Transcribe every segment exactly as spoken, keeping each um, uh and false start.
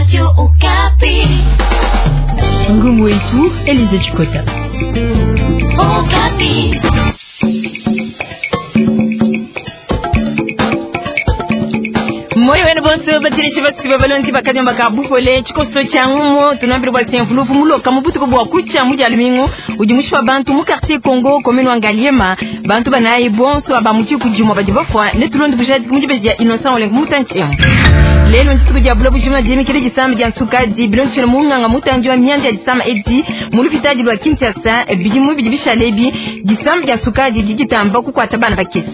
Radio Okapi. Ngumu wetu Elize Chikota. Okapi. Moyo wenu bonso batilishi basiba balonzi bakanyamba ka bupole tshikoso tshia ngumo tunambile bwa senfulufu muloka mubutuku bwa kucha muja lumingu udi mushipa bantu mu quartier Congo commune wa Ngaliema bantu banayi bonso aba muchi kujimwa badi bafwa ne tulondi bujadi mujibeji ya Innocent Olenga mutanchi lelo ntituku dia bulo bujima diemikile disamba dia nsukadi bilondishile munganga mutanji wa mianda ya disama edi mu lupitadi lwa Kinshasa bidimu bidi bishale disamba dia nsukadi didi ditamba kukwata bana bakese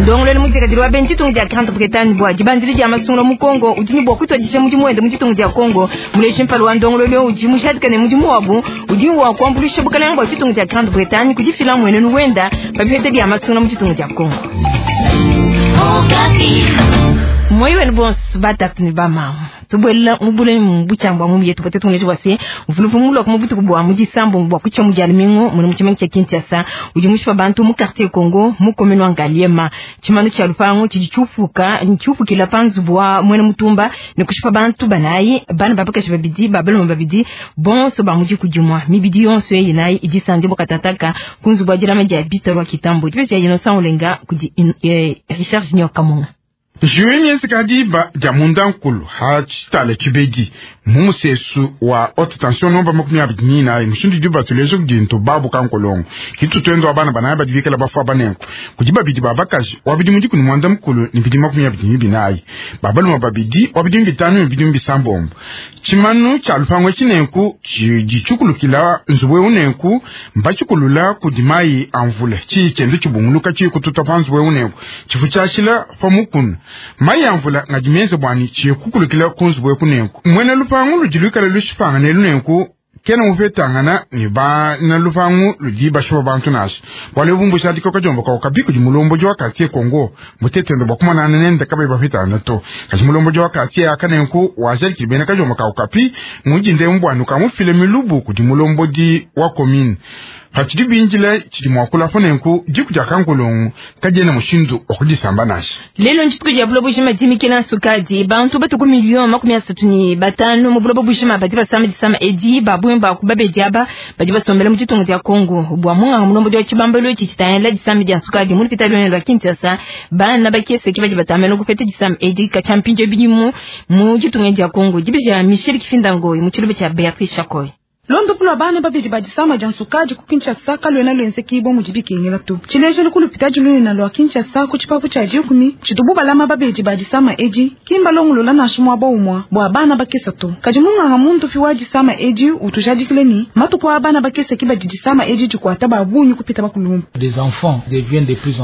ndongolelo mudikadili wa benji ditunga dia Grande Bretagne bua dibandili dia masungula mu Congo udi ne bua kutuadija mudimu wende mu ditunga dia Congo muleji mpala wa ndongolelo udi mujadika ne mudimu wabu udi wa kuambuluisha bukalenge bua ditunga dia Grande Bretagne kudifila mwenenu wenda pa bipeta bia masungula mu ditunga dia Congo. Okapi. Moyo wenu bonso batatu ne bamama tubwela mubule mbuchambwa mu yetu pote tungeje bwase mvuluvu mulo ku butuku bwa mu disambo bwa kucha mu jalumingo mu muchimengi cha Kinshasa udi mushipa bantu mu quartier Congo mu commune wa Ngaliema chimano cha lupango chidi chufuka nchufukila panzu bwa mwene mutumba ne kushipa bantu banayi bana babakashi babidi babelo babidi bonso ba muji kujumwa mibidi yonso yeyi nayi idisanje bokatataka kunzu bwa dilama dia bitarwa kitambo dibe ya Innocent Olenga kudi eh, Richard Junior Kamunga. Juenye diba dia mundankulu ha tshitala tshibedi mu musesu wa haute tension nomba makumi abidi n'inayi mushindu di batuleje kudi nto babu kankolongo kitu twendo wa bana banayi badi bikala bafua banenku kudi babidi ba bakaji wa bidimu dikumi mwanda mukulu ni bidimu makumi abidi ni binayi babaluma babidi wa bidimu bitanu ni bidimu bisambombo tshimanu tshia lupango tshinenku tshidi tshikulukila nzubu eu nenku mbatshikulula kudi mayi a mvula tshiyi tshiende tshibunguluka tshiyi kututa pa nzubu eu nenku tshifu tshiashila pa mukuna mayi a mvula ngadi menze bwani tshiyi kukulukila ku nzubu eku nenku mwene lupangu ludi luikala lushipanga nelu nenku kena mupetangana ne bana lupangu ludi bashipa bantu nasha bwale bumbusha dikoka jomba kwa kabi kudi mulomboji wa quartier Congo mutetendo bwa kumanana nende kabe bapetana to kaji mulomboji wa quartier aka nenku wajalikile bena kajomba ka kapi mujinde mbwanu kamufile milubu kudi mulomboji wa commune patshidi binjila tshidi muakula po nenku diku dia kankolongo kadiena mushindu wa kudisamba nasha lelo ntshituku dia buloba bujima dimikila nsukadi bantu batuku million makumi asatu ne batanu mu buloba bujima badi basama disama edi babumbi baku babedi aba badi basombela mu ditunga dia Congo bua munganga mulombodi wa tshibambalo etshi tshitangila disama dia nsukadi mu lupitadi lunene lua Kinshasa bana bakese ke badi batambela kupeta disama edi katshia mpindieu bidimu mu ditunga dia Congo dibeja Michel Kifindangoyi mu tshiluba tshia Beatrice Chakoy. Londopu lwa bana babidi ba disama dia nsukadi ku Kinshasa kaluena luenzekibwa mudi bikengela to tshilejelu ku lupitadi lunene lua Kinshasa ku tshipapu tshia dikumi tshitubu balama babedi ba disama edi kimba longolola nansha muaba umua bua bana bakesa to kadi munganga muntupi wa disama edi utujadikile ni matuku a bana bakesa ki badi disama edi dikuata ba bungi kupita bakulumpa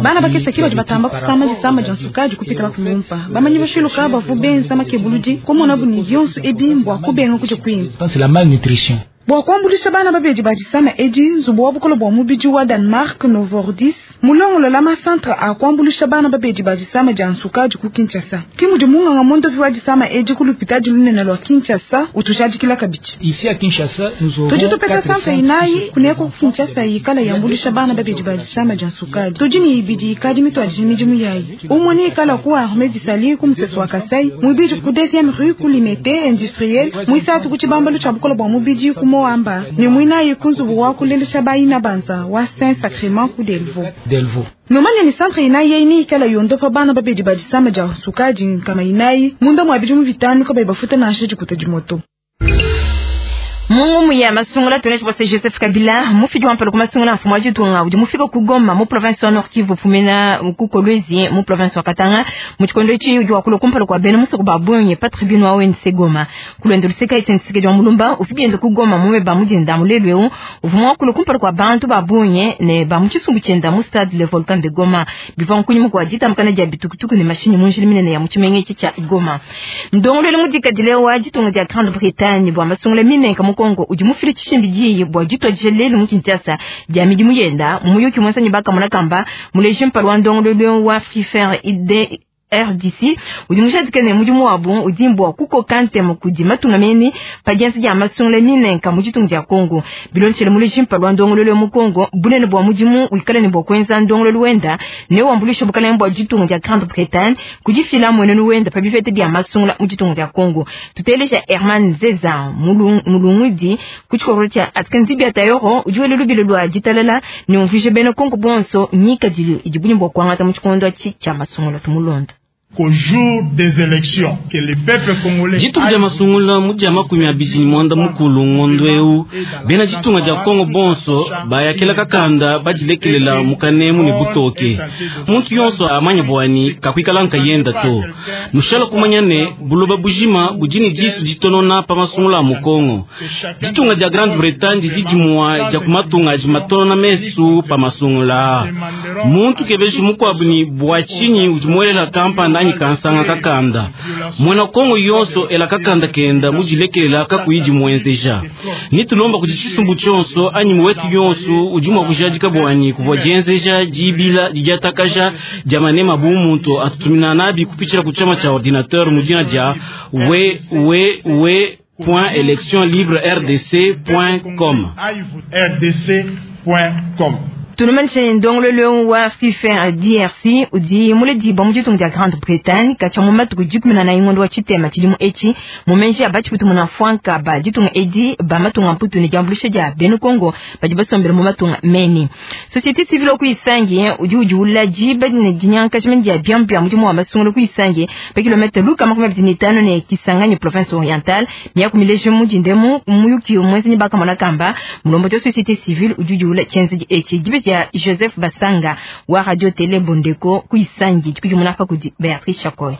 bana bakesa ki badi batamba kusama disama dia nsukadi kupita bakulumpa bamanyi bashiluka bavu benza makebuludi kumona buni yonso ebi mbua kubenga kuja kwinza C'est la malnutrition. Bua kuambulisha bana babedi ba disama edi nzubu wa bukolo bua mubidi wa Danemark Novordis mulongolola masantre a kuambulisha bana babedi ba disama dia nsukadi ku Kinshasa kimudi munganga mondopi wa disama edi ku lupitadi lunene lua Kinshasa utujadikila kabidi. Ici à Kinshasa, nous aurons tudi tupeta santre inayi kuneko ku Kinshasa yikala yambulisha bana babedi ba disama dia nsukadi tudi ni ibidi ikadi mituadije midimu yayi umwe ni ikala ku Armée d'Isali ku musesu wa Kasai mwibidi ku deuxième rue ku Limete industriel mwisatu ku tshibambalu tshia bukolo bua mubidi ku Moamba ni mwinayi ku nzubu wa kulelesha bayina banza wa Saint Sacrement ku Delvaux. Delvaux. Nomanya ni santre inayi yeini ikala yondopa bana babedi ba disama dia nsukadi nkama inayi munda mwa bidimu bitanu kabayi bafuta nansha dikuta dimoto. Mungu ya masungula tuneshi bwase Joseph Kabila mufidi wa mpalo kumasungula mfumo wa ditunga udi mufika ku Goma mu province wa Nord Kivu fumena ku Kolwezi mu province wa Katanga mu tshikondo etshi udi wakula kumpala kua bena musoko ba bungi pa tribune wa O N C Goma kulwendo luseka Etienne Tshisekedi wa Mulumba ufibiende ku Goma mume ba mudinda mulelu eu uvuma wakula kumpala kua bantu ba bungi ne ba mu tshisumbu tshienda mu stade Le Volcan de Goma bivua nkunyima kua ditambakana dia bitukutuku ne mashinyi mu njila minene ya mu tshimenga etshi tshia Goma ndongolelo mudikadile wa ditunga dia Grande Bretagne bua masungula minenka mu Kongo udi mufile tshishimbi diyi bua dituadije lelu mu Kinshasa dia midimu yenda muyuki mwensanyi bakamona kamba muleji mpala wa ndongolelo wa Free Fair I D R D C udi mujadike ne mudimu wabu udi mbwa kukoka ntema kudi matunga meni pa dienza dia masungula minenka mu ditunga dia Kongo. Bilonshele muleji mpala wa ndongololo mu Kongo bunene bwa mudimu wikale ne bwa kuenza ndongololo wenda ne wambulisha bukalenge bwa ditunga dia Grande-Bretagne kudifila mwenenu wenda pa bifete bia masungula mu ditunga dia Kongo. Tuteleja Herman Zeza mulungudi ku tshikoro tshia Atkanzi bia Tayoro udi wele lubilo lwa ditalala ne umvije bena Kongo bonso nyika didi bunyi bwa kuangata mu tshikondo tshia masungula tumulonda. Qu'au jour des élections, que le peuple congolais ditunga dia masungula mu dia makumi abidi ni mwanda mukulu ngondo eu bena ditunga dia Kongo bonso bayakela kakanda badilekelela mukanemu ne butoke muntu yonso amanya bwani kakwikala nkayenda to nushala kumanya ne buloba bujima budi disu ditonona pa masungula mu Kongo. Ditunga dia Grande-Bretagne didi dimua dia kumatunga adi matonona mesu pa masungula muntu kebeji mukwabu ni bwa tshinyi udi muelela kampanda kansanga kakanda mwana Kongo yonso ela kakanda kenda mujilekelela kakuyidi mwenzeja nitulomba kuti tshisumbu tshonso anyi muwetu yonso udi mua kujadika bwanyi kuvua dienzeja dibila didiatakaja dia manema bu muntu atutumina nabi kupitshila ku chama cha ordinateur mudina dia w w w point election libre r d c point com r d c point com. Tunumanishe ndongololo wa FIFA D R C udi muledi bwa mu ditunga dia Grande-Bretagne katshia mu matuku dikumi na ingondo wa tshitema tshidimu etshi mumenji abatshi putu muna fwanka ba ditunga edi ba matunga mputu ne diambulisha dia benu Kongo badi basombele mu matunga meni. Société civile ku Isangi udi udi ulaji badi ne dinyanka jimeni dia biambi mudimu wa masungulu ku Isangi pa kilomètre luka makumi abidi ne tano ne Kisangani province orientale miakumileje mu dindemu muyuki mwezi baka mona kamba mulombo wa société civile udi udi ula tshenzedi etshi dibe ya Joseph Basanga wa Radio Télé Bondeko ku Isangi dikujumuna pa kudi Beatrice Chakoy.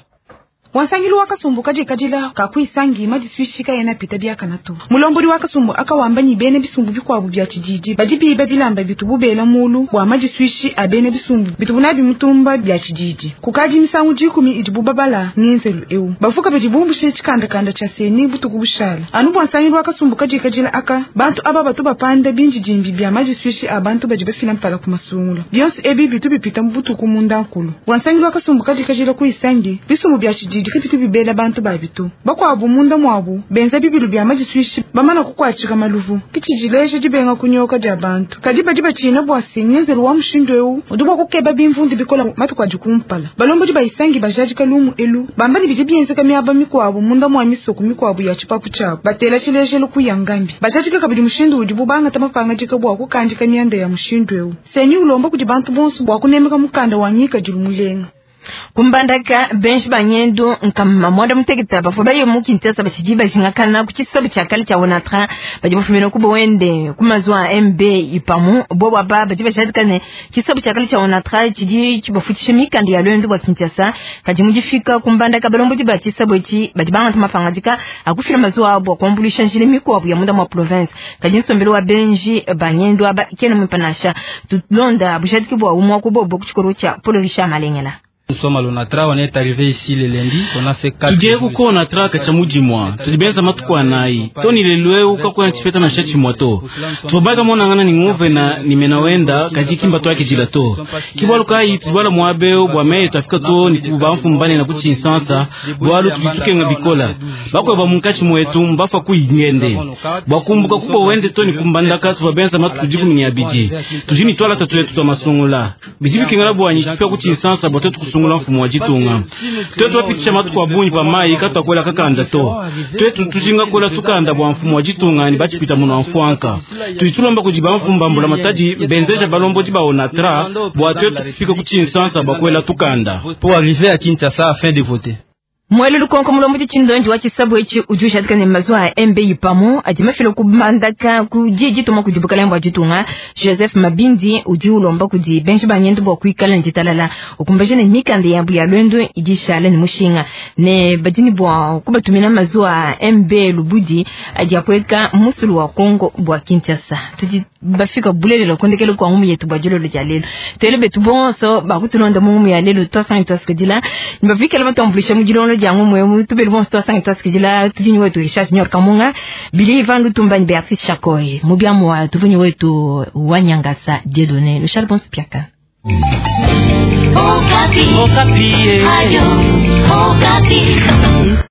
Wansangilu wakasumbu kadikadila kakuisangi madiswishika yena pita biakanatu mulombodi wakasumbu akawamba ni bene bisumbu bikwabu bya tshididi badi biba bilamba bitubu bela mulu bwa madiswishi abene bisumbu bitubu nabi mutumba bya tshididi kukadi misangu dikumi idibu babala ngenzelu eu bafuka bidi bumbushe tshikandakanda tsha seni butuku bushala anu bwansangilu wakasumbu kadikadila aka bantu aba batu bapanda binji dimbi bya madiswishi abantu badi bafila mpala ku masungula bionso ebi bitu bipita mu butuku munda nkulu bwansangilu wakasumbu kadikadila kuisangi bisumbu bya tshididi dikipito bibela bantu babitu bakwabu munda mwabu benza bibilu bya madiswishi bamana kukwachika maluvu kichijileje dibenga kunyoka dia bantu kadi badi bachina bwa singenzelu wa mushindo eu udubwa kukeba bimvundi bikola matuku adikumpala balombo bayisangi bajadika lumu elu bambani bidi bienzeka miaba mikwabu munda mwa misoko mikwabu ya chipapu chabo batela chilejelu kuyangambi bajadika kabidi mushindo udi bubanga tamapanga dikabwa kukandika mianda ya mushindo eu senyi ulomba kudi bantu bonso bwa kunemeka mukanda wa nyika dilumulenga. Kumbandaka benji banyendo nkama mwanda muteketa bafo bayo mukintesa bachiji bajingakana kuchisabu chakali cha Onatra baji bafumina kubo wende kumazwa M B ipamu bo baba baji bashadikane chisabu chakali cha Onatra chiji chibafutisha mikandi ya lwendo bwa Kinshasa kaji mujifika kumbandaka balombo jiba chisabu ichi baji banga mafangajika akufira mazwa abo kwambulisha njile miko ya munda mwa province kaji nsombelo wa benji banyendo aba kena mpanasha tulonda bushadiki bwa umwa kubo kuchikoro cha Paul Richard Malengela. Nous sommes à l'Onatra, on est arrivé ici le lundi, on a fait quatre jours. Tudiye ku Onatra kacha mujimwa, tulibenza matuku anayi. Toni lelweu kakuwa nchipeta na shachi mwato. Tubaga mona ngana ni nguve na nimenawenda kajiki mbato yake jila to. Kibwalu kai tubala mwabeo bwa meye tafika to ni kubamfu mbane na kuchi insansa, bwalu tujituke nga bikola. Bakwe ba munkachi mwetu mbafa kuingende. Bakumbuka kubo wende to ni kumbandaka tubabenza matuku jiku minyabiji. Tujini twala tatu yetu twa masungula. Bijibi kingala bwanyi tupia kuchi insansa bwa tetu kusungula mfumo wa jitunga. Twetu wapitisha matuku abunyi pa mai kata kwela kakanda to. Twetu tujinga kwela tukanda bwa mfumo wa jitunga ni bachipita muno mfuanka. Tuitulomba kujiba mfumba mbula matadi benzeja balombo jiba Onatra bwa twetu kufika kuchinsansa bwa kwela tukanda. Pour arriver à Kinshasa afin de voter. Mwele lukonko mulombo chindonji wa chisabu ichi ujusha dikane mazwa M B ipamu adimafilo kubandaka kujiji tuma kujibukala mbwa jitunga Joseph Mabindi uji ulomba kudi benji banyendo bwa kuikala njitalala ukumbaje ne mikande ya buya lwendo idishala ni mushinga ne badini bwa kubatumina mazwa M B Lubudi adiapweka musulu wa Kongo bwa Kinshasa tuji bafika bulele kondekele kwa ngumu yetu bwa jolo ya lelo twele betu bonso bakutulonda mu ngumu ya lelo twasanga twasikidila nibafika leba twambulisha mu jilolo ya ngumu yemu tubele bonso twasanga twasikidila tujinyi wetu Richard Junior Kamunga Bili Ivan Lutumba ni Beatrice Chakoy mubiamu wa tuvunyi wetu Wanyangasa Dieudonné le Charles Bonspiaka. Okapi. Okapi. Radio Okapi.